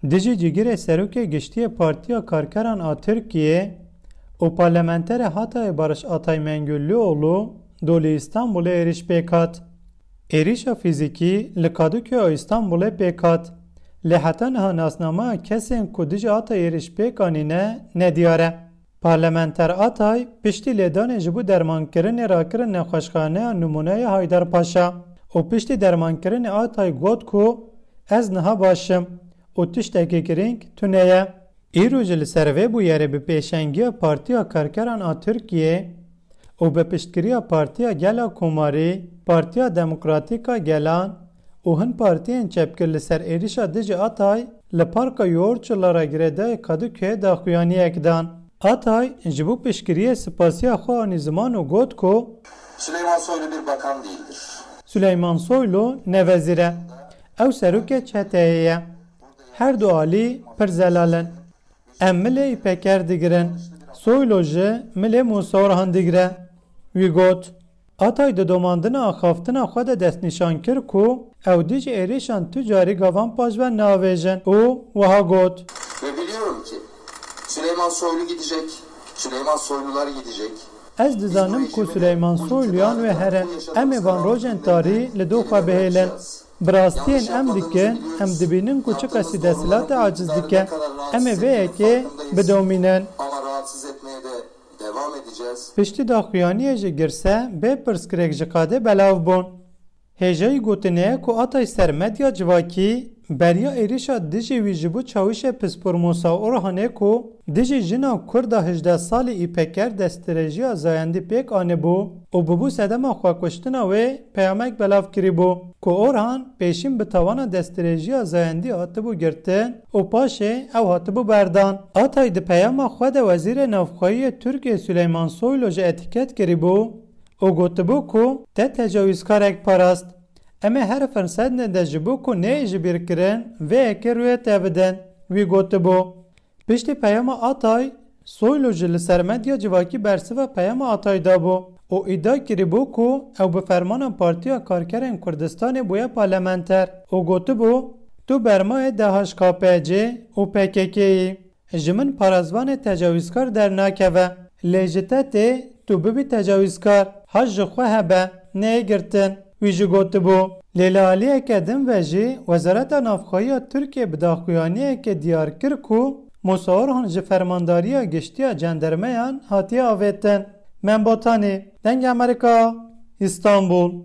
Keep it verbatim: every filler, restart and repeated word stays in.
Dijî cîgirê serokê giştî yê Partiya Karkeran a Tirkiyê û parlamenterê Hatayê Barış Atay Mengüllüoğlu do li Îstanbulê êrîş pêk hat. Êrîşa fîzîkî li Kadıköya Îstanbulê pêk hat. Lê heta niha nasnameya kesên ku dijî Atay êrîş pêk anîne nediyar e. Parlamenter Atay piştî lêdanê ji bo dermankirinê rakirin nexweşxaneya Nimûneyê Haydarpaşa û piştî dermankirinê Atay got ku ez niha baş im û tiştekî girîng tune ye. Îro jî li ser vê bûyerê bi pêşengiya Partiya Karkeran a Tirkiyê û bi piştgiriya Partiya Gela Komarî, Partiya Demokratîk a Gelan û hin partiyên çepgir li ser êrîşa dijî Atay li Parka Yoğurtçulara girêdayê Kadıköyê daxuyaniyek dan. Atay ji bo piştgiriyê spasiya xwe anî ziman û got ku Süleyman Soylu bir bakan değildir. Süleyman Soylu ne wezîr e. Ew serokê çeteyê ye. Her du alî pir zelal in. Em milê Îpeker digirin. Soylu ji milê Musa Orhan digire. Wî got, Atay di domandina axaftina xwe de destnîşan kir ku ew dijî êrîşan tu carî gavan paşve navêjin û wiha got, Ve biliyorum ki Süleyman Soylu gidecek, Süleyman Soylular gidecek. Ez dizanim ku Süleyman Soyluyan wê herin. Em ê van rojên tarî li dû xwe bihêlin. Bi rastiyên em dikin, em dibînin ku çiqasî desthilatê aciz dike. Em ê vê yekê bidomînin. Ama rahatsız etmeye de devam edeceğiz. Piştî daxuyaniyê ji girse bê pirsgirêk ji qadê belav bûn. Hêjayî gotinê ye ku Atay ser medya civakî beriya êrîşa dijî wî ji bo çawişê pispor Musa Orhanê ku dijî jina Kurda hejdeh salî Îpeker destdirêjiya zayendî pêk anibû û bûbû sedema xwekuştina wê peyamek belav kirîbû ku Orhan pêşîn bi tawana destdirêjiya zayendî hatibû girtin û paşê ew hatibû berdan. Atay di peyama xwe de Wezîrê Navxweyî yê Tirkiyê Süleyman Soylu jî etîket kirîbû û gotibû ku te tecawîzkarek parast. Em ê her firsendê de ji bo ku neyê ji bîr kirin, vê yekê rûyê te bidin. Wî gotibû. Piştî peyama Atay, Soylu jî li ser medya civakî bersiva peyama Atay dabû û îdia kiribû ku ew bi fermana Partiya Karkerên Kurdistanê bûye parlamenter û gotibû, Tu bermayê D H K P C û P K K'yî. Ji min parêzvanê tecawîzkar dernakeve. Lê ji te tê tu bibî tecawîzkar. Haş ji xwe hebe, neyê girtin. Wî jî gotibû. Lê li aliyeke din ve jî Wezareta Navxweyî ya Tirkiyê bi daxuyaniyekê diyar kir ku Musa Orhan ji Fermandariya Giştî ya Cendermeyan hatiye avêtin. Mem Botanî, Dengê Amerîka, Îstanbul.